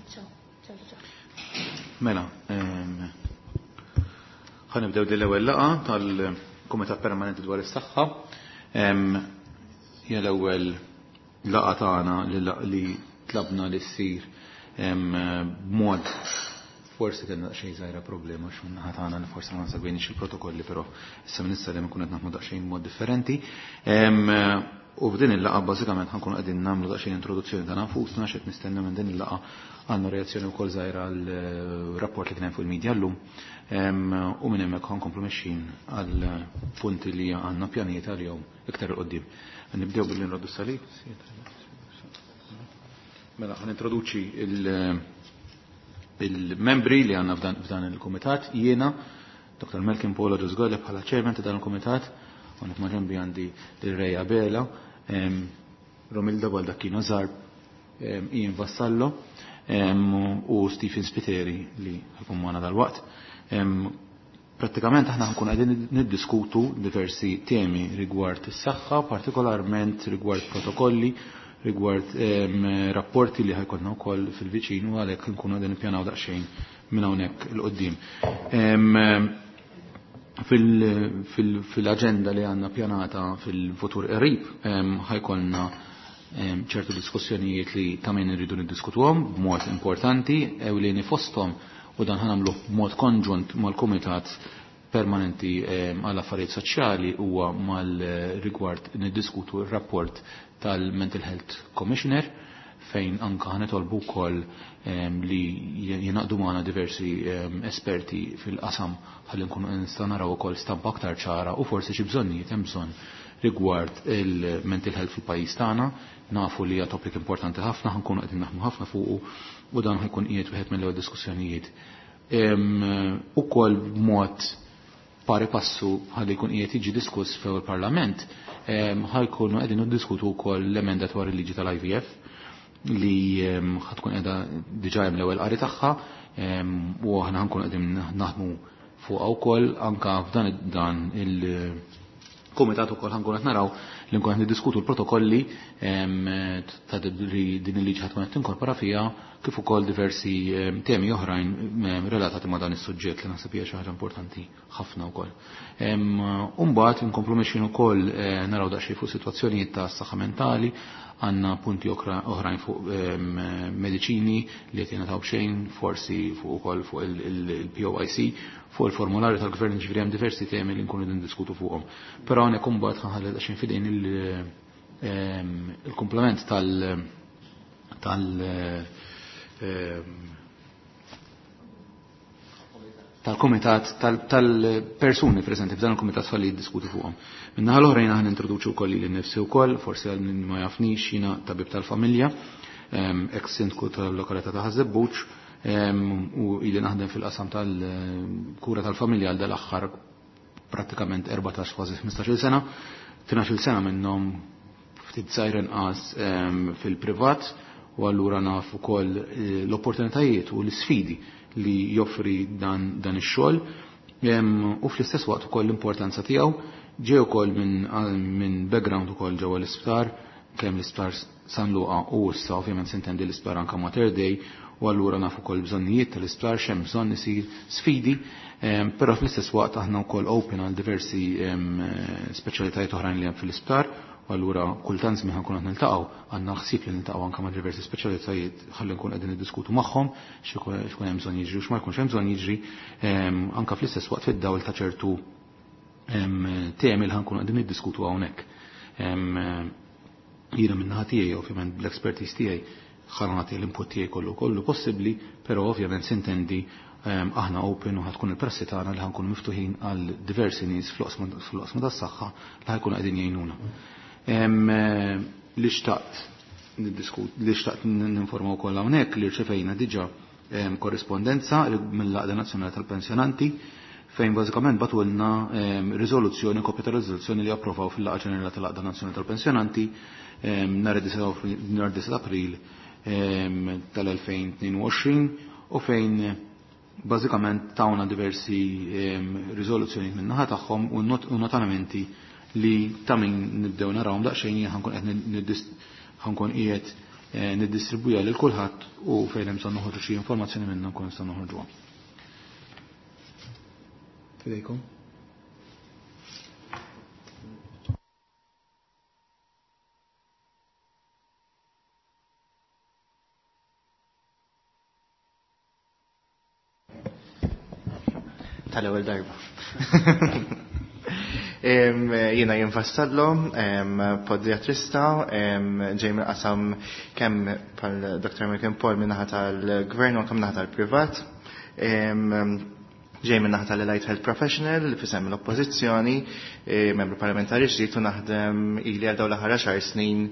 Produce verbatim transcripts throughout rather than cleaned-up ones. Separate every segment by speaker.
Speaker 1: Ciao, ciao, ciao.
Speaker 2: Mela, ħa nibdew din l-ewwel laqgħa tal-Kumitat Permanenti dwar is-Saħħa. Hija l-ewwel laqgħa tagħna li tlabna li ssir b'mod forsi kellna daqsxejn żgħira problema għax min-naħa tagħna li forsi ma segwejniex il-protokolli, però issa minn issa li nkun qed naħdmu daqsxejn b'mod differenti. U f'din il-laqgħa bażikament ħa nkunu qegħdin nagħmlu daqsxejn introduzzjoni ta' nafusna, x'qed nistenna minn din il-laqgħa, għandna reazzjoni wkoll żgħira għal rapport li kien hemm fuq il-medja llum. U minn hemmhekk ħa nkomplu mexjin għal punti li għandna pjanijiet għalihom iktar 'il quddiem. Nibdew billi nroddu salib. Mela, ħa nintroduċi il-membri li għandna f'dan il-kumitat. Jiena, Doktor Malcolm Paul Agius Galea, bħala chairman ta' dan il-kumitat, u maġenbi għandi il-Ray Abela, Romilda Baldacchino Zarb, Ian Vassallo u Stephen Spiteri li ħa jkun magħna dal-waqt. Prattikament aħna nkun qegħdin niddiskutu diversi temi rigward is-saħħa, partikolarment rigward protokolli, rigward rapporti li ħa jkollna wkoll fil-viċin, u għalhekk nkunu qegħdin nippjanaw daqsxejn minn hawnhekk 'il quddiem. Fil-aġenda li għandna pjanata fil-futur qrib ħa jkollna ċertu diskussjonijiet li ta' min irridu niddiskutuhom b'mod importanti, ewlieni fosthom, u dan ħa nagħmlu b'mod konġunt mal-Kumitat Permanenti għall Affarijiet Soċjali, huwa mal-rigward niddiskutu r-rapport tal-Mental Health Commissioner, fejn anka ħa nitolbu wkoll li jingħaqdu magħna diversi esperti fil-qasam ħalli nkunu nistgħu naraw ukoll stampa aktar ċara u forsi xi bżonnijiet hemm bżonn rigward il-mental health fil-pajjiż tagħna. Nafu li hija topic importanti ħafna, ħa nkunu qegħdin naħdmu ħafna fuqu u dan ħa jkun qiegħed wieħed mill-ewwel diskussjonijiet. Ukoll b'mod pari passu ħalli jkun qiegħed jiġi diskuss fil parlament ħa jkunu qegħdin niddiskutu wkoll l-emenda dwar il-liġi tal-I V F li ħa tkun qiegħda diġà hemm l-ewwel qari tagħha u aħna ħa nkunu qegħdin naħdmu fuqha wkoll. Anka f'dan dan il-kumitat ukoll ħa nkunu qed naraw li nkun qed niddiskutu l-protokolli ta' li din il-liġi ħa tkun qed tinkorpora fiha, kif ukoll diversi temi oħrajn relatati ma' dan is-suġġett li naħseb hija xi ħaġa importanti ħafna wkoll. Umbagħad inkomplu mexjin ukoll eh, naraw daqsxejn fuq sitwazzjonijiet ta' saħħa mentali, għandna punti oħrajn fuq mediċini li qed jingħataw b'xejn, forsi fuq ukoll fuq il-P O I C, fuq il-formularju tal-gvern, ġifieri hemm diversi temi li nkunu diskutu fuqhom. Però hawnhekk imbagħad ħa nħalli daqsxejn f'idejn il-komplement tal tal tal-komitat, tal-persuni presenti f'dan il-komitat ħalli jiddiskutu fuqhom. Min-naħa l-oħra jiena ħa nintroduċi wkoll lili nnifsi wkoll, forsi għal min ma jafnix, jiena tabib tal-familja, ex sindku tal-lokalità ta' Ħaż-Żebbuġ u ili naħdem fil-qasam tal-kura tal-familja għal dal-aħħar prattikament erbatax, kważi ħmistax-il sena, tnax-il sena minnhom ftit żgħir inqas fil-privat, u allura naf ukoll eh, l-opportunitajiet u l-isfidi li joffri dan, dan ix-xogħol u fl-istess waqt ukoll l-importanza tiegħu. Ġej ukoll minn min background ukoll ġewwa l-isptar, kemm l-isptar San Luqa u issa ovvjament sintendi l-isptar anka Mater Dei, u allura nafu ukoll bżonnijiet tal-isptar, x'hemm bżonn isir, sfidi, però fl-istess waqt aħna wkoll open għal diversi speċjalitajiet oħrajn li hemm fil-isptar, u allura kultant żmien ħa nkunu qed niltaqgħu, għandna ħsieb li niltaqgħu anke ma' diversi speċjalitajiet ħalli nkun qegħdin niddiskutu magħhom x'ikun hemm bżonn jiġri u x'ma jkunx hemm bżonn jiġri, anke fl-istess waqt fid-dawl ta' ċertu temi li ħa nkunu qegħdin niddiskutu hawnhekk. Jiena min-naħa tiegħi, ovvjament bl-expertise tiegħi, ħa nagħti l-input tiegħi kollu kollu possibbli, però ovvjament sintendi aħna open u ħa tkun il-prassi tagħna li ħa nkunu miftuħin għal diversi nies fl-oqsma tas-saħħa li ħa jkunu qegħdin jgħinuna. Li xtaqt li xtaqt ninforma wkoll hawnhekk li rċevejna diġà korrispondenza mill-Għaqda Nazzjonali tal-Pensjonanti, fejn bażikament bagħtulna riżoluzzjoni, kopja ta' riżoluzzjoni li approvaw fil-Laqgħa Ġenerali tal-Għaqda Nazzjonali tal-Pensjonanti nhar id-disgħa April tal-elfejn u tnejn u għoxrin, u fejn bażikament tawna diversi riżoluzzjoni min-naħa tagħhom u notamenti li ta' min nibdew narawhom daqsxejn. Jien ħa nkun qed ħa nkun qiegħed niddistribwija lil kulħadd u fejn hemm bżonn noħorġu xi informazzjoni minnha nkun nistgħu noħorġuha. Fidejkom.
Speaker 1: Tal-ewwel darba. Jiena jien Vassallo, podiatrista, ġej mill-qasam kemm bħal Doctor American Paul min-naħa tal-gvern u anke min-naħa tal-privat. Ġej min-naħa tal-Allied Health Professional li fisem l-Oppożizzjoni, membru parlamentari ġdid u naħdem ili għal dawn l-aħħar għaxar snin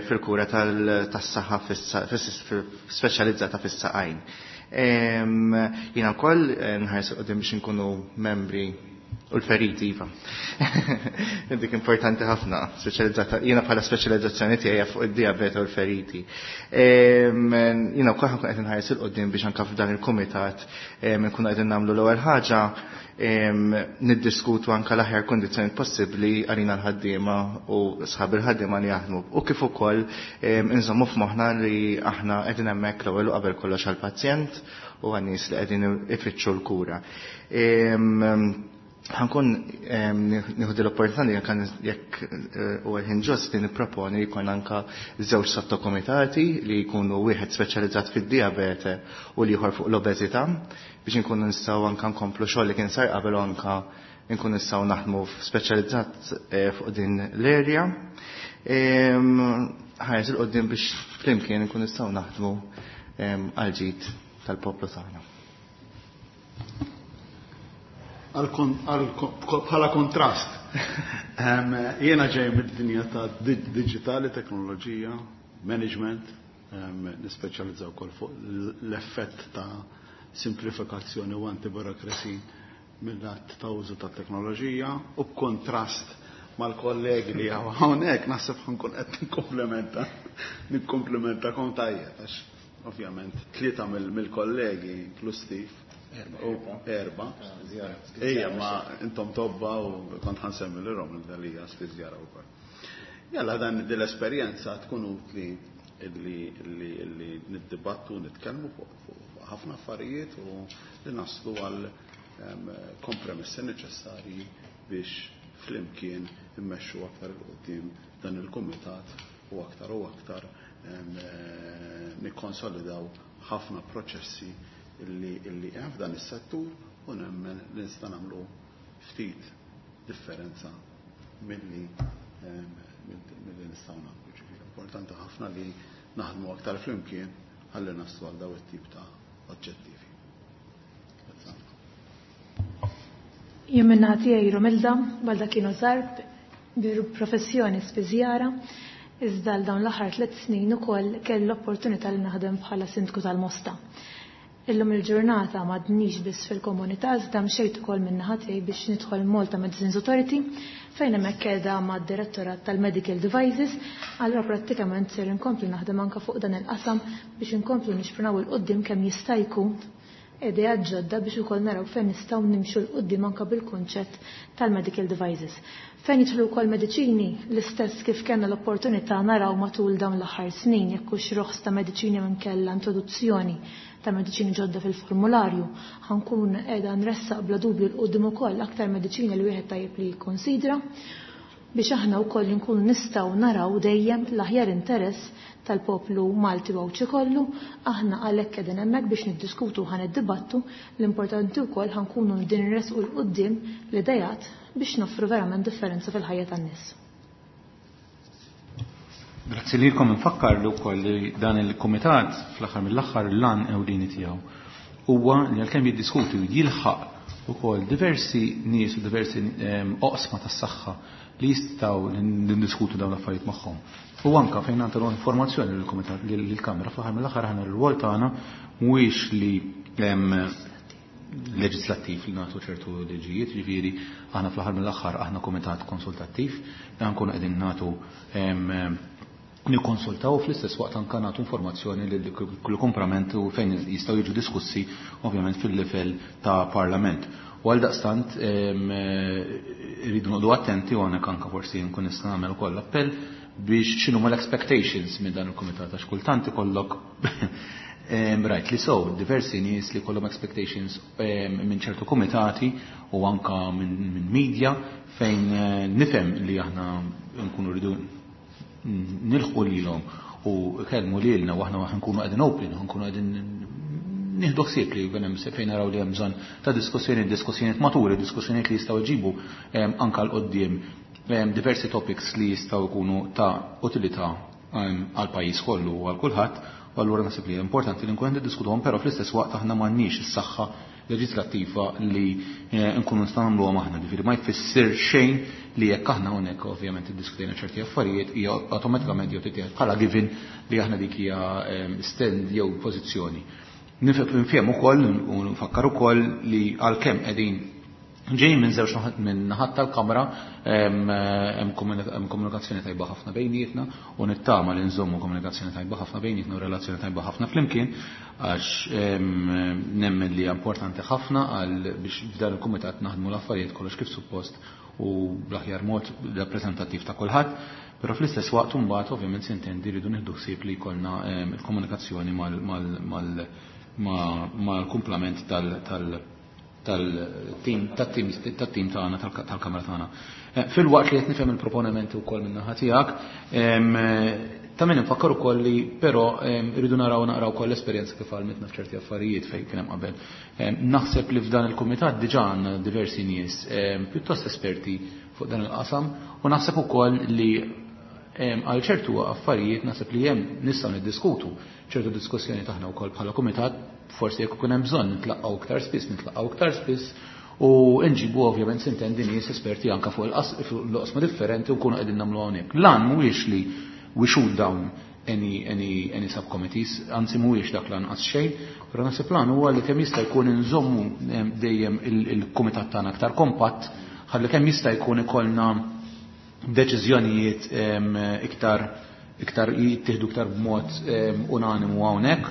Speaker 1: fil-kura tas-saħħa speċjalizzata fis-saqajn. Jiena wkoll nħares qudiem biex inkunu membri u l-feriti, iva. Dik importanti ħafna, speċjalizzata, jiena bħala speċjalizzazzjoni tiegħi fuq id-diabete u l-feriti. Jiena wkoll ħankun qed inħares il qudiem biex anke f'dan il-kumitat nkunu qegħdin nagħmlu l-ewwel ħaġa niddiskutu anke l-aħjar kundizzjoni possibbli għalina l-ħaddiema u sħab il-ħaddiema li jaħdmu. U kif ukoll inżommu f'moħħna li aħna qegħdin hemmhekk l-ewwel u qabel kollox għall-pazjent u għan-nies li qegħdin ifittxu l-kura. Ħankun nieħu l-opportunità li jekk huwa ħin ġust li nipproponi li jkun anke żewġ sottokomitati li jkunu wieħed speċjalizzat fid-diabete u l-ieħor fuq l-obeżità biex inkunu nistgħu anke nkomplu xogħol li kien sar qabel u anke nkunu nistgħu naħdmu speċjalizzat fuq din l-area. Ħares il qudiem biex flimkien nkunu nistgħu naħdmu għal ġid tal-poplu tagħna.
Speaker 3: Bħala kontrast. Jiena ġej mid-dinja ta' digitali, teknoloġija, management, nispeċjalizzaw ukoll fuq l-effett ta' simplifikazzjoni u antiburokrasi mill-att ta' użu ta' teknoloġija u b'kontrast mal-kollegi li hawn hawnhekk naħseb ħankun qed nikkomplementa nikkomplementakom tajjeb għax ovvjament tlieta mill-kollegi inkluż Steve erba. Ejja, ma intom tobba u kont ħansemmi l rom l-dalija spiżjara wkoll. Jalla dan dil-esperjenza tkun utli illi illi niddibattu, nitkellmu fuq ħafna affarijiet u li naslu għal kompromessi neċessarji biex flimkien immexxu aktar il qudiem dan il-kumitat u aktar u aktar nikkonsolidaw ħafna proċessi illi illi hemm f'dan is-settur u nemmen li nista' nagħmlu ftit differenza milli milli nistgħu nagħmlu. Ġifieri importanti ħafna li naħdmu aktar flimkien ħalli naslu għal daw it-tip ta' oġġettivi.
Speaker 4: Jien minn naħa tiegħi Romilda Baldacchino Zarb, professjoni spiżjara, iżda għal dawn l-aħħar tliet snin ukoll kelli l-opportunità li naħdem bħala sindku tal-Mosta. Illum il-ġurnata m'għadnix biss fil-komunità, iżda mxejt ukoll minn naħa tiegħi biex nidħol Malta Medicines Authority fejn hemmhekk qiegħda mad-direttorat tal-Medical Devices, allura prattikament ser inkomplu naħdem anke fuq dan il-qasam biex inkomplu nixprunaw il qudiem kemm jista' jkun idea ġodda biex ukoll naraw fejn nistgħu nimxu l qudiem anke bil-kunċett tal-medical devices. Fejn jidħlu wkoll mediċini, l-istess kif kellna l-opportunità naraw matul dawn l-aħħar snin jekk hux roħs ta' mediċini minn kellha introduzzjoni ta' mediċini ġodda fil-formularju, ħankun qiegħda nressaq bla dubju l qudiem ukoll aktar mediċini li wieħed tajjeb li jikkonsidra biex aħna wkoll nkunu nistgħu naraw dejjem l-aħjar interess tal-poplu Malti u Għawdxi kollu, aħna għalhekk qegħdin hemmhekk biex niddiskutu u ħanidibattu, l-importanti wkoll ħankunu din nresqu l quddiem l-idejat biex noffru verament differenza fil-ħajja tan-nies.
Speaker 2: Grazzi lilkom. Nfakkar li wkoll li dan il-kumitat fl-aħħar mill-aħħar l-lan ewlieni tiegħu huwa li għalkemm jiddiskuti u jilħaq ukoll diversi nies u diversi oqsma tas-saħħa li jistgħu niddiskutu dawn l-affarijiet magħhom. U anka fejn nagħtu informazzjoni lill-kumitat lill-Kamra fl-aħħar mill-aħħar aħna r-rwol tagħna mhuwiex li leġislattiv li nagħtu ċertu liġijiet, ġifieri aħna fl-aħħar mill-aħħar aħna kumitat konsultattiv, dan nkunu qegħdin nagħtu nikkonsultaw fl-istess waqt anke nagħtu informazzjoni lil kull komprament u fejn jistgħu jiġu diskussi ovvjament fil-livell ta' parlament. U għal daqstant irridu noqogħdu attenti u hawnhekk anke forsi nkun nista' nagħmel ukoll appell biex x'inhuma l-expectations minn dan il-kumitat, għax kultant ikollok rajt li so diversi nies li kollhom expectations minn ċertu kumitati u anka minn media fejn nifhem li aħna nkunu rridu nilħqu lilhom u kellmu lilna u aħna nkunu qegħdin open, nkunu qegħdin nieħdu ħsieb li jkun hemm fejn naraw li hemm bżonn ta' diskussjoni, diskussjonijiet maturi, diskussjonijiet li jistgħu jġibu anka l qoddim diversi topics li jistgħu jkunu ta' utilità għal pajjiż kollu u għal kulħadd. U allura naħseb li importanti li nkunu niddiskutuhom, però fl-istess waqt aħna m'għandniex is-saħħa leġislattiva li nkunu nistgħu nagħmluhom aħna. Ġifieri ma jfisser xejn li jekk aħna hawnhekk ovvjament iddiskutejna ċerti affarijiet hija awtomatikament jew titieħed bħala given li aħna dik hija stand jew pożizzjoni. Nifhem ukoll u nfakkar ukoll li għalkemm qegħdin ġej minn żewġ minn naħat tal-kamra hemm komunikazzjoni tajba ħafna bejnietna u nittama li nżommu komunikazzjoni tajba ħafna bejnietna u relazzjoni tajba ħafna flimkien, għax nemmen li hija importanti ħafna għal biex f'dan il-kumitat naħdmu l-affarijiet kollox kif suppost u bl-aħjar mod rappreżentattiv ta' kulħadd, però fl-istess waqt imbagħad ovvjament sintendi rridu nieħdu ħsieb li jkollna il-komunikazzjoni mal-kumplament tal tal-tim tat-tim tagħna tal-kamra tagħna. Fil-waqt li qed nifhem il-proponimenti wkoll min-naħa tiegħek, ta' min infakkar ukoll li però rridu naraw naqraw ukoll l-esperjenza kif għalmitna f'ċerti affarijiet fejn kien hemm qabel. Naħseb li f'dan il-kumitat diġà għandna diversi nies pjuttost esperti fuq dan il-qasam u naħseb ukoll li għal ċertu affarijiet naħseb li hemm nistgħu niddiskutu ċertu diskussjoni taħna wkoll bħala kumitat, forsi jekk ikun hemm bżonn nitlaqgħu iktar spiss, nitlaqgħu iktar spiss u nġibu ovvjament sintendi nies esperti anke fuq l-qosma differenti u nkunu qegħdin nagħmlu hawnhekk. Lan mhuwiex li we shoot down any, any, any subcommittees, anzi mhuwiex dak lanqas xejn, però naħseb lan huwa li kemm jista' jkun inżommu dejjem il-kumitat tagħna aktar kompatt, ħalli kemm jista' jkun ikollna deċiżjonijiet iktar iktar jittieħdu iktar b'mod unanimu hawnhekk.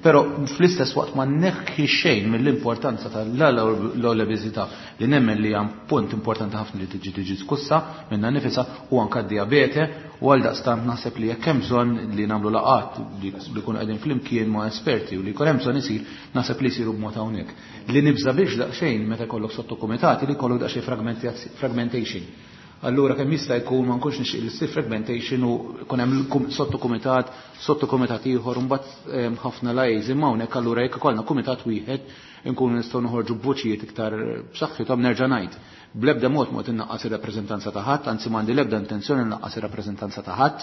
Speaker 2: Però fl-istess waqt ma neħħi xejn mill-importanza tal-obeżità li nemmen li hemm punt importanti ħafna li tiġi tiġi diskussa minnha nifisha u anke d-diabete, u għal daqstant naħseb li jekk hemm bżonn li nagħmlu laqgħat li jkunu qegħdin flimkien ma' esperti u li jkun hemm bżonn isir, naħseb li jsiru b'mod hawnhekk. Li nibża biex daqsxejn meta jkollok sottokumitati li jkollok daqsxejn fragmentation. Allura kemm jista' jkun ma nkunx nixtieq li ssir fragmentation u jkun hemm sottokumitat, sottokumitat ieħor u mbagħad ħafna lajż imma hawnhekk allura jekk ikollna kumitat wieħed inkunu nistgħu noħorġu b'vuċijiet iktar b'saħħithom. Nerġa' ngħid, bl-ebda mod mod innaqqas ir-rappreżentanza ta' ħadd, anzi m'għandi l-ebda intenzjoni nnaqqas ir-rappreżentanza ta' ħadd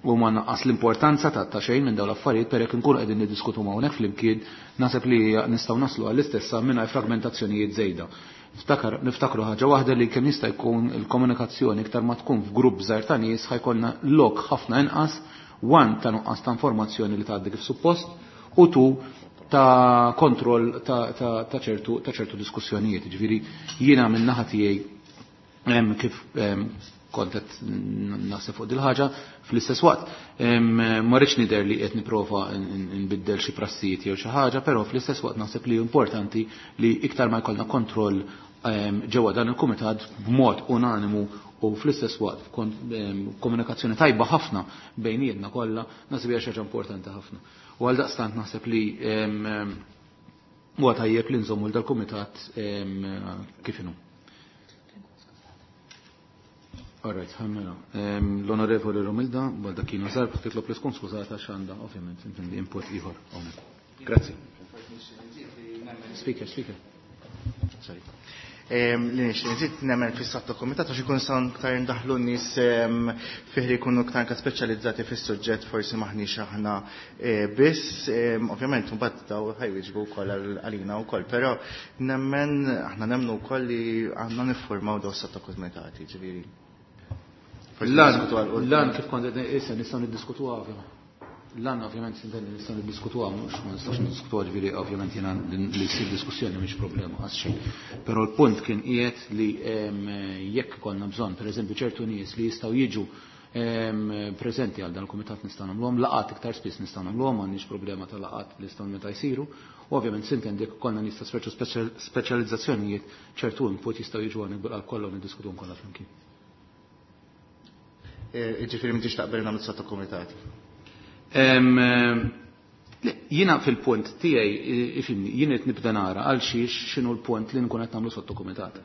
Speaker 2: u ma naqqas l-importanza ta' ta' xejn minn dawn l-affarijiet, per jekk inkunu qegħdin niddiskutu hawnhekk flimkien naħseb li nistgħu naslu għall-istessa mingħajr fragmentazzjonijiet żejda. Niftakar, niftakru ħaġa waħda li kemm jista' jkun il-komunikazzjoni iktar ma tkun f'grupp żgħir ta' nies ħajkollna lok ħafna inqas, one ta' nuqqas ta' informazzjoni li tgħaddi kif suppost u two ta' kontroll ta' ta' ta' ċertu ta' ċertu diskussjonijiet. Ġifieri jiena minn naħa tiegħi kif kont qed naħseb fuq dil-ħaġa, fl-istess waqt ma rridx nidher li qed nipprova nbiddel xi prassijiet jew xi ħaġa, però fl-istess waqt naħseb li importanti li iktar ma jkollna kontroll ġewwa dan il-kumitat b'mod unanimu u fl-istess waqt komunikazzjoni tajba ħafna bejnietna kollha, naħseb hija xi ħaġa importanti ħafna. U għal daqstant naħseb li huwa tajjeb li nżommu dal-kumitat kif inhu. All right, ħammela. L-Onorevoli Romilda Baldacchino Zarb titlob li tkun skużata x'għandha ovvjament intendi input ieħor hawnhekk. Grazzi. Speaker, speaker.
Speaker 1: Sorry. Li nixtieq nżid nemmen fis-sottokumitat għax ikun san iktar ndaħlu nies fih li jkunu iktar anke speċjalizzati fis-suġġett, forsi maħniex aħna biss, ovvjament mbagħad daw ħajwieġbu wkoll għalina wkoll, però nemmen aħna nemmnu wkoll li għandna niffurmaw daw sottokumitati, ġifieri.
Speaker 2: Lan kif kont issa nistgħu niddiskutuha ovvjament. Lan ovvjament sintendi nistgħu niddiskutuha, mhux ma nistax niddiskutuha, ġifieri ovvjament jiena li ssir diskussjoni mhix problema għas xejn. Però l-punt kien qiegħed li jekk ikollna bżonn pereżempju ċertu nies li jistgħu jiġu preżenti għal dan il-kumitat nistgħu nagħmluhom, laqgħat iktar spiss nistgħu nagħmluhom, m'għandniex problema ta' laqgħat li jistgħu meta jsiru. U ovvjament sintendi jekk ikollna nies ta' ċertu speċjalizzazzjonijiet, ċertu input jistgħu jiġu għal kollha u niddiskutuhom kollha flimkien.
Speaker 1: Ġifieri m'intix taqbel nagħmlu sottokumitati.
Speaker 2: Jiena fil-punt tiegħi, ifhimni, jien qed nibda nara għal xiex x'inhu l-punt li nkun qed nagħmlu sottokumitat.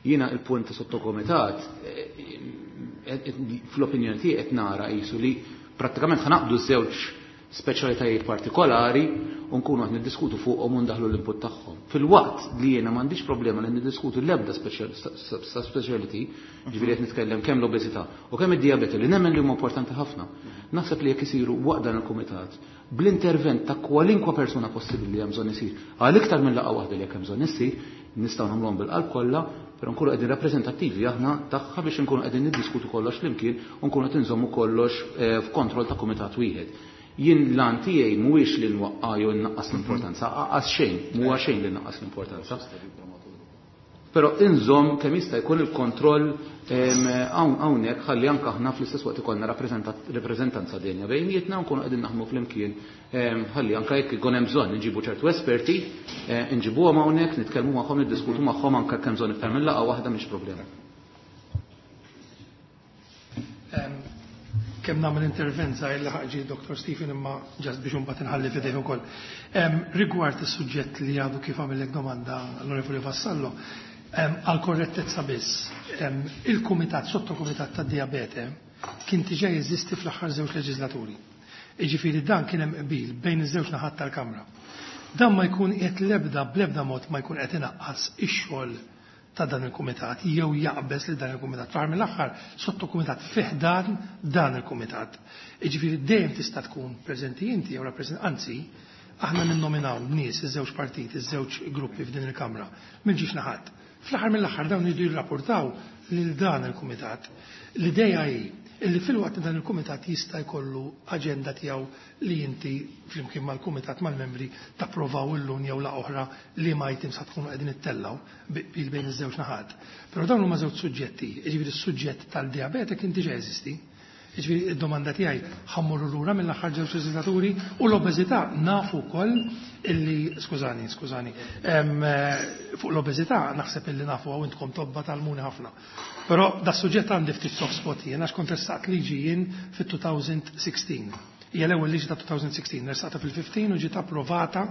Speaker 2: Jiena il-punt ta' sottokumitat fl-opinjoni tiegħi qed nara qisu li prattikament ħa naqbdu żewġ speċjalitajiet partikolari u nkunu qed niddiskutu fuqhom u ndaħlu l-input tagħhom. Fil-waqt li jiena m'għandix problema li niddiskutu l-ebda speciality, ġifieri qed nitkellem kemm l-obeżità u kemm id-dijabete li nemmen li huma importanti ħafna. Naħseb li jekk isiru waqt dan il-kumitat bl-intervent ta' kwalinkwa persuna possibbli li hemm bżonn isir, għal iktar minn laqgħa waħda li jekk hemm bżonn issir, nistgħu nagħmluhom bil-qalb kollha, però nkunu qegħdin rappreżentattivi aħna tagħha biex nkunu qegħdin niddiskutu kollox flimkien u nkunu qed inżommu kollox f'kontroll ta' kumitat wieħed. Jien l-għan tiegħi mhuwiex li nwaqqa' jew nnaqqas l-importanza, aqas xejn, mhuwa xejn li nnaqqas l-importanza. Però inżomm kemm jista' jkun il-kontroll hawnhekk ħalli anke aħna fl-istess waqt ikollna rappreżentanza denja bejnietna u nkunu qegħdin naħdmu flimkien ħalli anke jekk ikun hemm bżonn inġibu ċertu esperti, inġibuhom hawnhekk, nitkellmu magħhom, niddiskutu magħhom anke kemm bżonn iktar minn laqgħa waħda mhix problema.
Speaker 5: Kemm nagħmel intervent żgħir li ħaġi Doktor Stephen imma ġast biex imbagħad inħalli f'idejh ukoll. Rigward is-suġġett li għadu kif għamillek domanda l-Onorevoli Vassallo, għal korrettezza biss, il-kumitat, sottokumitat tad-dijabete kien diġà jeżisti fl-aħħar żewġ leġislaturi. Jiġifieri dan kien hemm qbil bejn iż-żewġ naħat tal-Kamra. Dan ma jkun qed l-ebda bl-ebda mod ma jkun qed inaqqas ix-xogħol ta' dan il-kumitat jew jaqbeż li dan il-kumitat. Fl-aħħar mill-aħħar sottokumitat fih dan dan il-kumitat. Jiġifieri dejjem tista' tkun preżenti inti jew rappreżent, anzi aħna ninnominaw nies iż-żewġ partiti, iż-żewġ gruppi f'din il-Kamra mill-ġiex naħat. Fl-aħħar mill-aħħar dawn jridu jirrapportaw lil dan il-kumitat. L-idea hi illi fil-waqt dan il-kumitat jista' jkollu aġenda tiegħu li inti flimkien mal-kumitat mal-membri tapprovaw illum jew la oħra li ma items ħad tkunu qegħdin ittellaw bil bejn iż-żewġ naħat. Però dawn huma żewġ suġġetti, jiġifieri s-suġġett tal-dijabete kien diġà jeżisti. Jiġifieri id-domanda tiegħi ħammurru lura mill-aħħar żewġ leġislaturi u l-obeżità nafu wkoll illi skużani, skużani, fuq l-obeżità naħseb illi nafu hawn intkom tobba tal-muni ħafna. Però da suġġett għandi ftit soft spot jien għax kont ressaqt liġi jien fit-two thousand sixteen. Hija l-ewwel liġi ta' twenty sixteen, ressaqta fil-fifteen u ġiet approvata,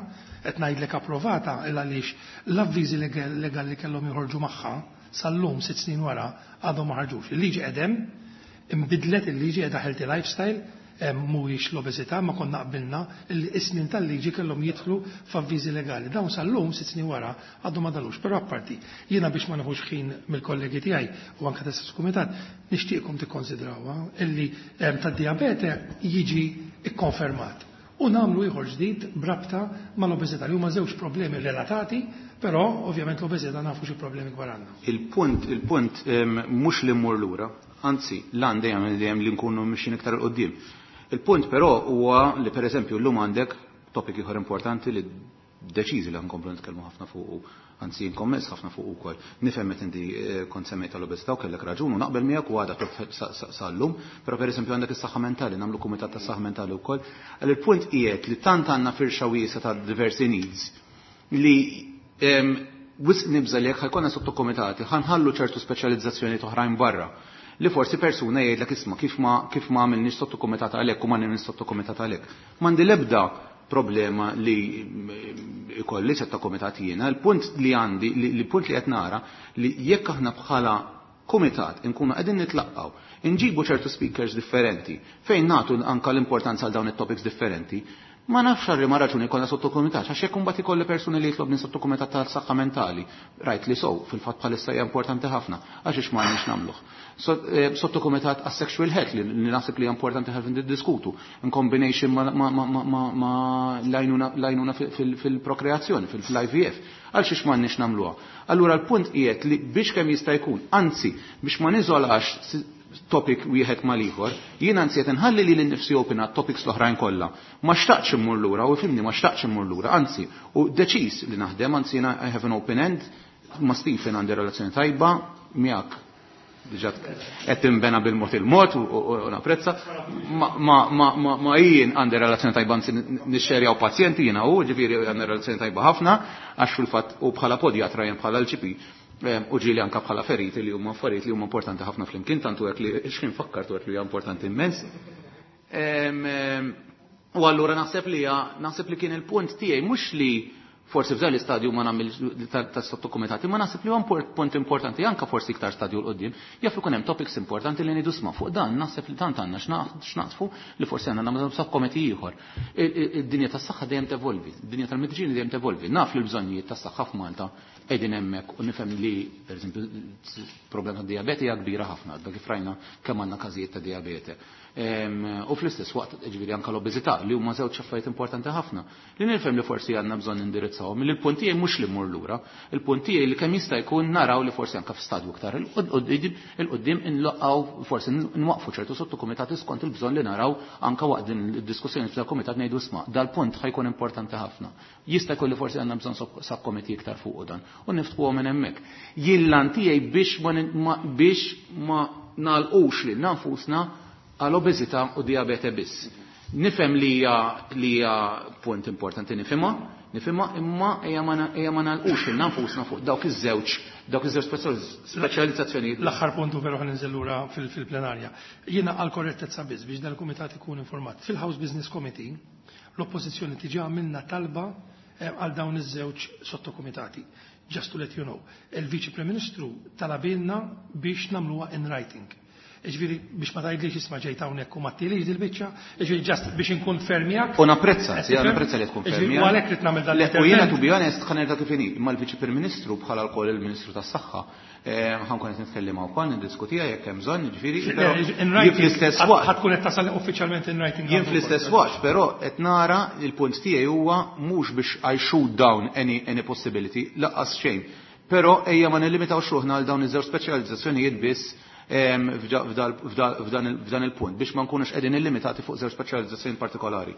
Speaker 5: qed ngħidlek approvata il għaliex l-avviżi legali li kellhom joħorġu magħha sal-lum sitt snin wara għadhom ma ħarġux. Il-liġi qedem, imbidlet il-liġi qiegħda healthy lifestyle, mhuwiex l-obeżità, ma konna qbilna li is-snin tal-liġi kellhom jidħlu f'avviżi legali. Dawn sal-lum sitt snin wara għadhom ma dalux, però apparti jiena biex ma nieħux ħin mill-kollegi tiegħi u anke tas-istess kumitat nixtieqkom tikkonsidrawha illi tad-dijabete jiġi ikkonfermat. U nagħmlu ieħor ġdid b'rabta mal-obeżità li huma żewġ problemi relatati, però ovvjament l-obeżità nafu xi problemi kbar għandna.
Speaker 2: Il-punt, il-punt mhux li mmur lura, anzi l-għan dejjem dejjem li nkunu mixjin iktar 'il quddiem. Il-punt però huwa li pereżempju llum għandek topic ieħor importanti li deċiżi li nkomplu nitkellmu ħafna fuq, anzi nkommess ħafna fuq ukoll. Nifhem meta inti kont semmejt tal-obeżità u kellek raġun u naqbel miegħek u għadha sal-lum, però pereżempju għandek is-saħħa mentali, nagħmlu kumitat tas-saħħa mentali wkoll. Għal il-punt qiegħed li tant għandna firxa wiesgħa ta' diversi needs li wisq nibża' li jekk ħajkonna sottokomitati ħanħallu ċertu speċjalizzazzjoni oħrajn barra. Li forsi persuna jgħidlek isma' kif ma kif ma għamilniex sottokumitat għalhekk u ma nagħmilniex sottokumitat għalhekk. M'għandi l-ebda problema li ikolli sottokumitat jiena, il-punt li għandi, li punt li qed nara li jekk aħna bħala kumitat inkunu qegħdin nitlaqgħu, inġibu ċertu speakers differenti fejn nagħtu anka l-importanza għal dawn it-topics differenti, ma nafx għal ma raġuni kollha sottokumitat, għax jekk imbagħad ikolli persuni li jitlob minn sottokumitat tal-saħħa mentali, rajt li sow, fil-fatt bħalissa hija importanti ħafna, għax ix ma għandniex nagħmluh. Sottokumitat għas-sexual health li naħseb li hija importanti ħafna niddiskutu, in combination ma, ma, ma, ma, ma, ma l-għajnuna fil-prokreazzjoni, fil-I V F, għal xiex ma għandniex nagħmluha. Allura l-punt qiegħed li biex kemm jista' jkun, anzi biex ma niżolax topic wieħed mal-ieħor, jien anzi qed inħalli lili nnifsi open għat topics l-oħrajn kollha. Ma xtaqtx immur lura, u fimni ma xtaqtx immur lura, anzi, u deċiż li naħdem, anzi jiena I have an open end, ma' Stephen għandi relazzjoni tajba, miegħek diġà qed tinbena bil-mod il-mod u, u, u napprezza, ma, ma, ma, ma, ma jien għandi relazzjoni tajba, anzi nixxerjaw pazjenti jiena u, ġifieri għandi relazzjoni tajba ħafna, għax fil-fatt u bħala podjatra jien bħala l-G P, U ġieli anka bħala feriti li huma affarijiet li huma importanti ħafna flimkien, tantu hekk li x'kien fakkartu hekk li hija importanti immens. U allura naħseb li naħseb li kien il-punt tiegħi mhux li forsi f'dan l-istadju ma nagħmel tas-sottokumitati, ma naħseb li huwa punt importanti anka forsi iktar stadju 'l quddiem, jaf ikun hemm topics importanti li ngħidu sma' fuq dan, naħseb li tant għandna x'naqsfu li forsi għandna nagħmlu subcommittee ieħor. Id-dinja tas-saħħa dejjem tevolvi, id-dinja tal-mediċini dejjem tevolvi. Naf li l-bżonnijiet tas-saħħa f'Malta qegħdin hemmhekk u nifhem li pereżempju problema ta' dijabete hija kbira ħafna, għadda kif rajna kemm għandna każijiet ta' dijabete. U fl-istess waqt ġifieri anke l-obeżità li huma żewġ affarijiet importanti ħafna. Li nifhem li forsi għandna bżonn indirizzawhom, li l-punt tiegħi mhux li mmur lura, il-punt tiegħi li kemm jista' jkun naraw li forsi anke f'stadju iktar il-qudiem inloqqgħu forsi nwaqfu ċertu sottokumitati skont il-bżonn li naraw anke waqt din id-diskussjoni fil-kumitat ngħidu isma' dal-punt ħajkun importanti ħafna. Jista' jkun li forsi għandna bżonn subcommittee iktar fuq dan u niftħuhom minn hemmhekk. Jien lan tiegħi biex ma biex ma nagħlqux lil nfusna għal obeżità u diabete biss. Nifhem li hija li hija punt importanti nifhimha, nifhimha imma ejja ma nagħlqux lil nfusna fuq dawk iż-żewġ dawk iż-żewġ speċjalizzazzjonijiet.
Speaker 5: L-aħħar punt veru ħa ninżel lura fil-plenarja. Jiena għal korrettezza biss biex dal-kumitat ikun informat. Fil-House Business Committee l-oppożizzjoni diġà għamilna talba għal dawn iż-żewġ sottokumitati. Just to let you know. Il-Viċi Prim Ministru talabilna biex nagħmluha in writing. Ġifieri biex ma tgħidlix isma' ġejt hawnhekk u ma ttilix dil-biċċa, ġifieri just biex inkun fermijak.
Speaker 2: U napprezza, sì, napprezza li tkun fermijak.
Speaker 5: U għalhekk rid nagħmel dan.
Speaker 2: U jiena to be honest ħa nerġa' kif inhi, imma l-Viċi Prim Ministru bħala wkoll il-Ministru tas-Saħħa ħa nkun qed nitkellem wkoll niddiskutiha jekk hemm bżonn, jiġifieri.
Speaker 5: Jien fl-istess waqt. Ħa tkun qed tasal uffiċjalment in writing.
Speaker 2: Jien fl-istess waqt, però qed nara il-punt tiegħi huwa mhux biex I shoot down any any possibility, laqqas xejn. Però ejja ma nillimitawx ruħna għal dawn iż-żewġ speċjalizzazzjonijiet biss f'dan il-punt biex ma nkunux qegħdin illimitati fuq żewġ speċjalizzazzjoni partikolari.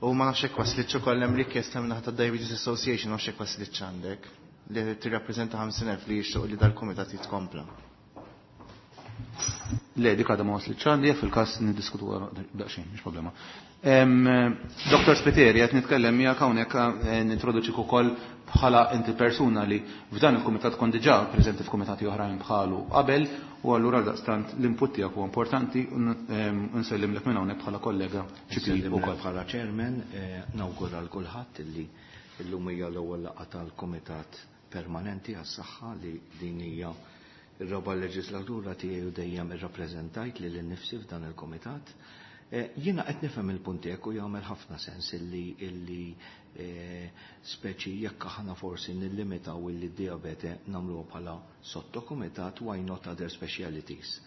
Speaker 1: U ma nafx hekk waslitx ukoll hemm rikjesta minn naħa tad-Diabetes Association, nafx hekk waslitx għandek li tirrappreżenta ħamsin elf li jixtiequ li dal-kumitat jitkompla.
Speaker 2: Le, dik għadha ma waslitx għandi, fil-każ niddiskutu daqsxejn, mhix problema. Doktor Spiteri, qed nitkellem miegħek hawnhekk nintroduċik ukoll bħala inti persuna li f'dan il-kumitat kont diġà preżenti f'kumitati oħrajn bħalu qabel, u allura daqstant l-input tiegħek huwa importanti u nsellimlek minn hawnhekk bħala kollega G P ukoll.
Speaker 6: Bħala chairman, nawgura l kulħadd illi llum hija l-ewwel laqgħa tal-Kumitat Permanenti għas-Saħħa li din hija ir-raba' leġislatura tiegħi u dejjem irrappreżentajt lil innifsi f'dan il-kumitat. Jiena qed nifhem il-punt tiegħek u jagħmel ħafna sens illi illi speċi jekk aħna forsi nillimitaw illi d-diabete nagħmluha bħala sottokumitat, why not other specialities.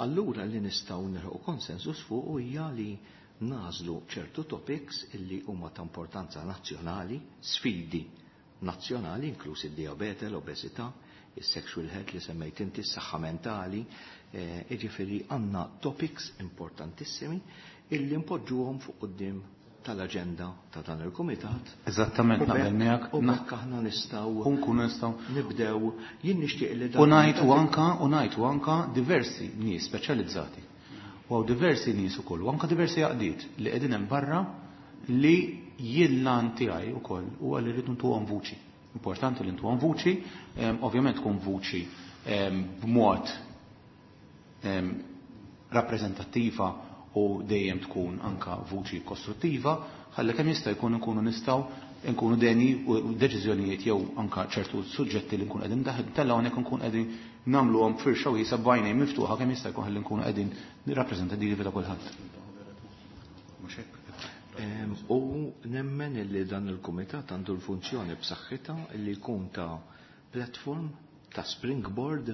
Speaker 6: Allura li nistgħu nilħu konsensus fuq hija li nażlu ċertu topics illi huma ta' importanza nazzjonali, sfidi nazzjonali, inkluż id-diabete, l-obesità, is-sexual health li semmejt inti, s-saħħa mentali, jiġifieri għandna topics importantissimi illi npoġġuhom fuq quddiem tal-aġenda ta' dan il-kumitat.
Speaker 2: Eżattament, naqbel miegħek.
Speaker 6: U bekk aħna nistgħu
Speaker 2: U nkunu nistgħu
Speaker 6: nibdew. Jien nixtieq li
Speaker 2: U ngħid u anka u ngħid u anka diversi nies speċjalizzati. U hawn diversi nies ukoll, u anka diversi għaqdiet li qegħdin hemm barra li jien lan tiegħi ukoll huwa li rridu ntuhom vuċi. Importanti li ntuhom vuċi, ovvjament tkun vuċi b'mod rappreżentattiva u dejjem tkun anka vuċi kostruttiva, ħalli kemm jista' jkun nkunu nistgħu nkunu deni u deċiżjonijiet jew anka ċertu suġġetti li nkun qegħdin tellgħu hawnhekk nkun qegħdin nagħmluhom firxa wiesgħa b'għajnejn miftuħa kemm jista' jkun ħalli nkunu qegħdin nirrappreżentativi ta' kulħadd.
Speaker 6: U nemmen li dan il-kumitat għandu l-funzjoni b'saħħitha li jkun ta' platform, ta' springboard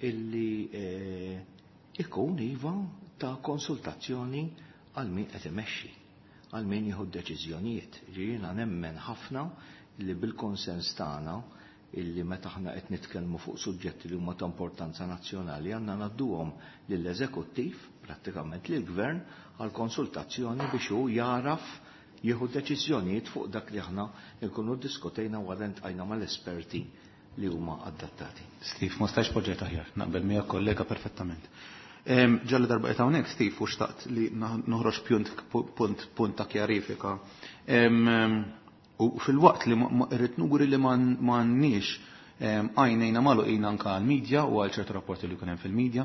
Speaker 6: illi ikun iva ta' konsultazzjoni għal min qed imexxi, għal min jieħu deċiżjonijiet. Jiena nemmen ħafna li bil-konsens tagħna illi meta aħna qed nitkellmu fuq suġġetti li huma ta' importanza nazzjonali għandna ngħadduhom lill-eżekuttiv, prattikament lill-gvern, għal konsultazzjoni biex hu jaraf jieħu deċiżjonijiet fuq dak li aħna nkunu ddiskutejna wara ntqajna mal-esperti li huma adattati.
Speaker 2: Steve, ma stajx poġġejt aħjar, naqbel miegħek kollega perfettament. Ġalli darba qed hawnhekk, Steve, u xtaqt li noħroġ punt punt punt ta' kjarifika. U fil-waqt li rrid nuri li m'għandniex għajnejna magħluqin anke għall-medja u għal ċertu rapporti li kien hemm fil-medja.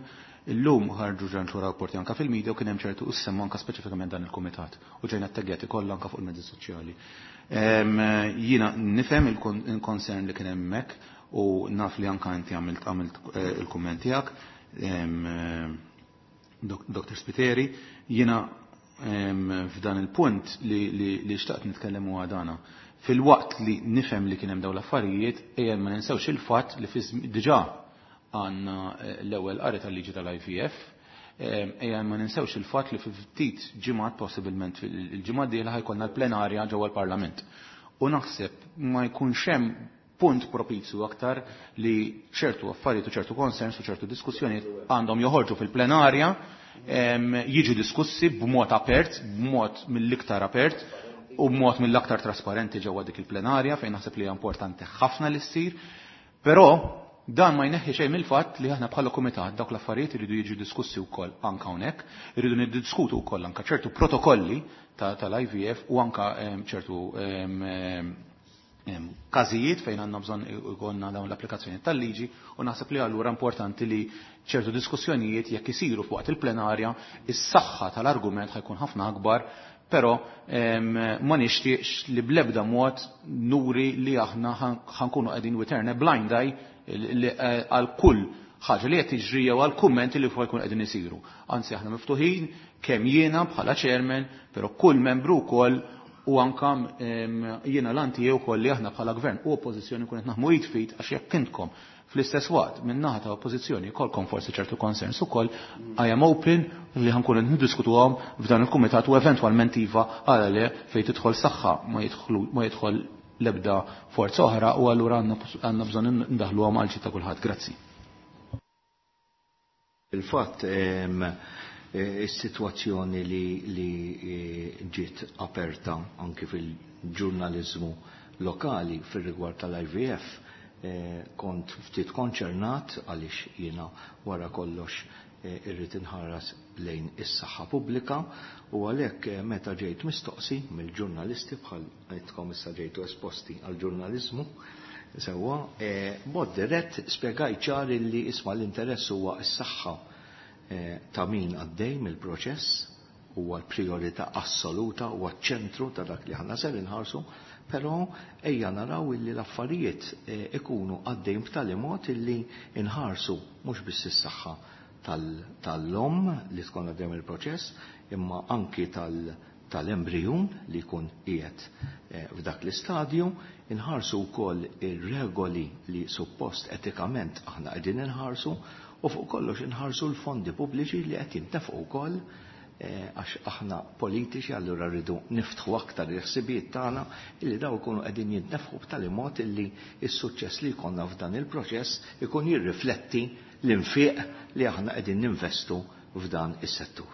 Speaker 2: Illum ħarġu ġanċu rapporti anke fil-medja u kien hemm ċertu issemma anke speċifikament dan il-kumitat u ġejna tteggjati kollha anke fuq il-mezzi soċjali. Jiena nifhem il-concern li kien hemmhekk u naf li anke inti għamilt għamilt il-kumment tiegħek, Doktor Spiteri, jiena f'dan il-punt li xtaqt nitkellem huwa dana. Fil-waqt li nifhem li kien hemm dawn l-affarijiet, ejja ma ninsewx il-fatt li diġà għandna l-ewwel qari tal-liġi tal-I V F, ejja ma ninsewx il-fatt li fi ftit ġimgħat, possibilment il-ġimgħa d-dieħla ħajkollna l-plenarja ġewwa l-Parlament. U naħseb ma jkunx hemm punt propizju aktar li ċertu affarijiet u ċertu concerns u ċertu diskussjonijiet għandhom joħorġu fil-plenarja, jiġu diskussi b'mod apert, b'mod mill-iktar apert u b'mod mill-aktar trasparenti ġewwa dik il-plenarja fejn naħseb li hija importanti ħafna li ssir. Però dan ma jneħħi xejn mill-fatt li aħna bħala kumitat dawk l-affarijiet iridu jiġu diskussi wkoll anke hawnhekk, iridu niddiskutu wkoll anke ċertu protokolli tal-I V F u anke ċertu każijiet fejn għandna bżonn ikollna dawn l-applikazzjoni tal-liġi u naħseb li allura importanti li ċertu diskussjonijiet jekk isiru fuq il-plenarja, is-saħħa tal-argument ħajkun ħafna akbar, però ma nixtieqx li bl-ebda mod nuri li aħna ħankunu qegħdin we turn a blind eye għal kull ħaġa li qed tiġri jew għal kummenti li fuq jkun qegħdin isiru. Anzi aħna miftuħin kemm jiena bħala chairman, però kull membru wkoll u anka jiena l-anti jew ukoll li aħna bħala gvern u oppożizzjoni kun qed naħmu id fit għax jekk intkom fl-istess waqt minn naħa ta' oppożizzjoni jkollkom forsi ċertu concerns ukoll, I am open li ħankun qed niddiskutuhom f'dan il-kumitat u eventwalment iva għala le fejn tidħol saħħa ma jidħlu ma jidħol l-ebda forza oħra u allura għandna bżonn ndaħluhom għal ġid ta' kulħadd. Grazzi.
Speaker 6: Il-fatt is-sitwazzjoni li, li ġiet aperta anki fil-ġurnaliżmu lokali fir-rigward tal-I V F, kont ftit konċernat għaliex jiena wara kollox irrid inħares lejn is-saħħa pubblika u għalhekk meta ġejt mistoqsi mill-ġurnalisti bħal għedtkom issa ġejtu esposti għall-ġurnaliżmu sewwa, b'mod dirett spjegajt ċar illi isma' l-interess huwa s-saħħa ta' min għaddej mill-proċess, huwa l-priorità assoluta, huwa ċ-ċentru ta' dak li aħna ser inħarsu, però ejja naraw illi l-affarijiet ikunu għaddejn b'tali mod illi inħarsu mhux biss is-saħħa tal-omm li tkun għaddejn mill-proċess, imma anki tal-embrijun li jkun qiegħed f'dak l-istadju, inħarsu wkoll ir-regoli li suppost etikament aħna qegħdin inħarsu, u fuq kollox inħarsu l-fondi pubbliċi li qed jintefqu wkoll, għax aħna politiċi allura rridu niftħu aktar il-ħsibijiet tagħna illi daw ikunu qegħdin jintnefħu b'tali mod illi s-suċċess li jkollna f'dan il-proċess ikun jirrifletti l-infiq li aħna qegħdin ninvestu f'dan is-settur.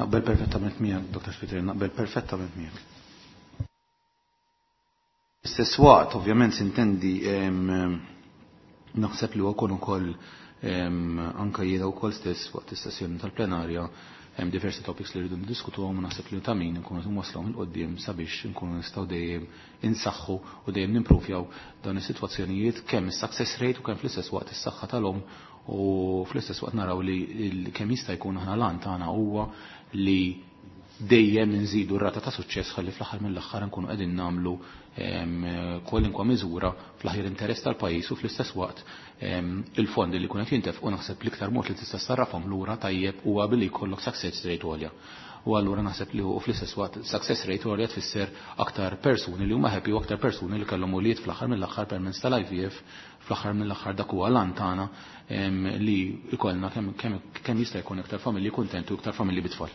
Speaker 2: Naqbel perfettament miegħek, Doktor Spiteri, naqbel perfettament miegħek. Istess waqt, ovvjament, sintendi naħseb li huwa ukoll anke jiena wkoll stess waqt is-sessjoni tal-plenarja hemm diversi topics li rridu niddiskutuhom u naħseb li ta' min nkunu nwaslhom il quddiem sabiex nkunu nistgħu dejjem insaħħu u dejjem nimpruvjaw dawn is-sitwazzjonijiet kemm is-success rate u kemm fl-istess waqt is-saħħa tal-omm u fl-istess waqt naraw li kemm jista' jkun aħna lan tagħna huwa li dejjem nżidu r-rata ta' suċċess ħalli fl-aħħar mill-aħħar nkunu qegħdin nagħmlu kwalinkwa miżura fl-aħjar interess tal-pajjiż u fl-istess waqt il-fondi li jkun qed jintefqu naħseb l-iktar mod li tista' sarrafhom lura tajjeb huwa billi jkollok success rate għolja. U allura naħseb li fl-istess waqt success rate għolja tfisser aktar persuni li huma happy u aktar persuni li kellhom ulied fl-aħħar mill-aħħar permezz tal-I V F, fl-aħħar mill-aħħar dak huwa lan tagħna li jkollna kemm, kemm, kemm jista' jkun aktar familji kuntenti u aktar familji bit-tfal.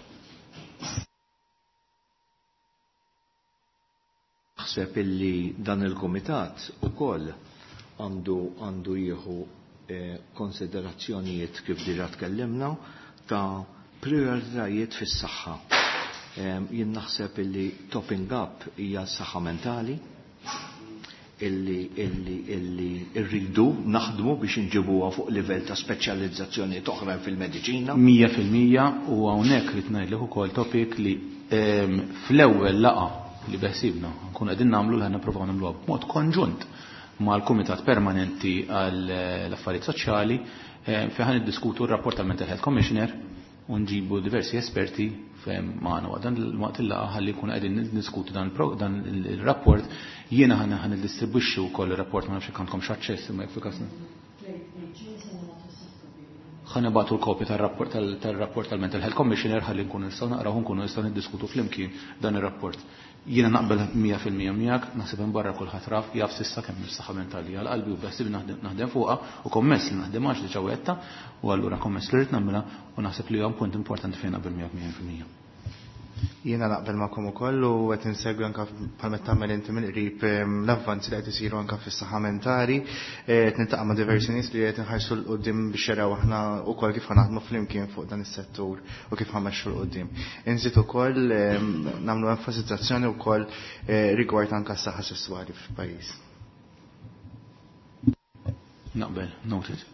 Speaker 6: Naħseb illi dan il-kumitat ukoll għandu, għandu jieħu eh, konsiderazzjonijiet kif diġà tkellimna ta' prioritajiet fis-saħħa. Eh, jien naħseb illi topping up hija s-saħħa mentali illi, illi, illi rridu naħdmu biex inġibuha fuq livell ta' speċjalizzazzjoni oħra fil-mediċina.
Speaker 2: Mija fil-mija u hawnhekk rid ngħidlek ukoll topic li, ehm, fl-ewwel laqgħa li beħsibna nkunu qegħdin nagħmlu li ħa nippruvaw nagħmluha b'mod konġunt mal-Kumitat Permanenti għall-Affarijiet Soċjali fejn ħa niddiskutu r-rapport tal-Mental Health Commissioner u nġibu diversi esperti fejn magħna waqt dan waqt il-laqgħa ħalli nkunu qegħdin niddiskutu dan il-rapport. Jiena ħa niddistribwixxi wkoll ir-rapport, ma nafx jekk għandkomx aċċess imma jekk fil-każ ħa nibagħtu l-kopja tar-rapport tal-rapport tal-Mental Health Commissioner ħalli nkunu nistgħu naqraw u nkunu nistgħu niddiskutu flimkien dan ir-rapport. Jiena naqbel mija fil-mija miegħek, naħseb hemm barra kulħadd raf jaf s'issa kemm is-saħħa mentali għal qalbi u beħsieb naħdem fuqha u kommess li naħdem għax diġà wegħedtha u allura kommess li rrid nagħmilha u naħseb li huwa punt importanti fejn naqbel miegħek mija fil-mija.
Speaker 1: Jiena naqbel magħkom ukoll u qed insegwi anke bħalma tagħmel inti mill-qrib l-avvanzi li qed isiru anke fis-saħħa mentali, qed niltaqa' ma' diversi nies li qed inħarsu 'l quddiem biex jaraw aħna wkoll kif ħa naħdmu flimkien fuq dan is-settur u kif ħa mmexxu 'l quddiem. Inżid ukoll nagħmlu enfasizzazzjoni wkoll rigward anke s-saħħa sesswali fil-pajjiż.
Speaker 2: Naqbel, noted.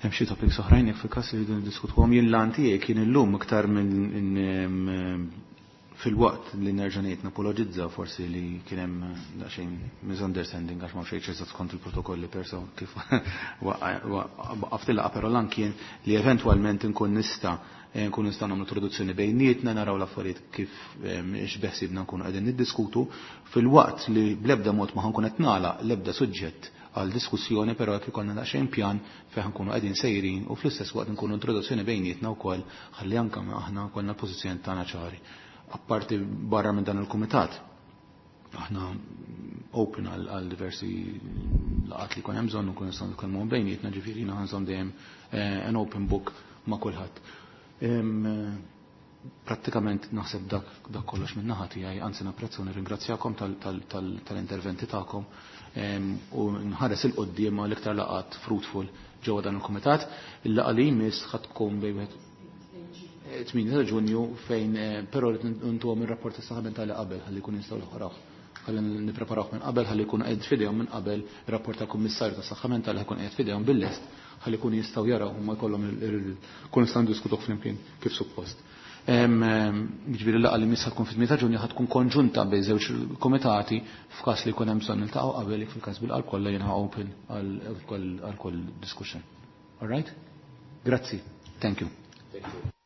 Speaker 2: Hemm xi topics oħrajn jekk fil-każ li rridu niddiskutuhom. Jien l-għan tiegħi kien illum iktar minn fil-waqt li nerġa' ngħid napologizza forsi li kien hemm daqsxejn misunderstanding għax ma xejn eżatt skont il-protokolli perso kif waqaft il-laqgħa, però l-għan kien li eventwalment inkun nista' nkun nistgħu nagħmlu introduzzjoni bejnietna, naraw l-affarijiet kif x'beħsibna nkunu qegħdin niddiskutu fil-waqt li bl-ebda mod ma ħankun qed nagħlaq l-ebda suġġett għal diskussjoni, però jekk ikollna daqsxejn pjan fejn nkunu qegħdin sejrin u fl-istess waqt nkunu introduzzjoni bejnietna wkoll ħalli anke aħna kollna l-pożizzjoni tagħna ċari. Apparti barra minn dan il-kumitat, aħna open għal diversi laqgħat li jkun hemm bżonn nkunu nistgħu nitkellmu bejnietna, ġifieri jiena ħanżomm dejjem an open book ma' kulħadd. Prattikament naħseb dak dak kollox minn naħa tiegħi, anzi napprezza u nirringrazzjakom tal-interventi tagħkom u nħares 'il quddiem għal iktar laqgħat fruitful ġewwa dan il-kumitat. Il-laqgħa li jmiss ħa tkun bejn wieħed tmienja ta' Ġunju fejn però rrid ntuhom ir-rapport tas-saħħa mentali qabel ħalli jkun jistgħu joħroġ. Ħalli nippreparawh minn qabel ħalli jkun qed f'idejhom minn qabel ir-rapport tal-Kummissarju tas-Saħħa Mentali ħa jkun qiegħed f'idejhom bil-lest ħalli jkunu jistgħu jaraw huma jkollhom kun nistgħu ndiskutuh flimkien kif suppost. Ġifieri l-laqgħa li jmiss tkun fit-tmienja ta' Ġunju ħa tkun konġunta bejn żewġ komitati f'każ li jkun hemm bżonn niltaqgħu qabel jekk fil-każ bil-qalb kollha jiena open għal kull discussion. All right? Grazzi. Thank you.
Speaker 6: Thank you.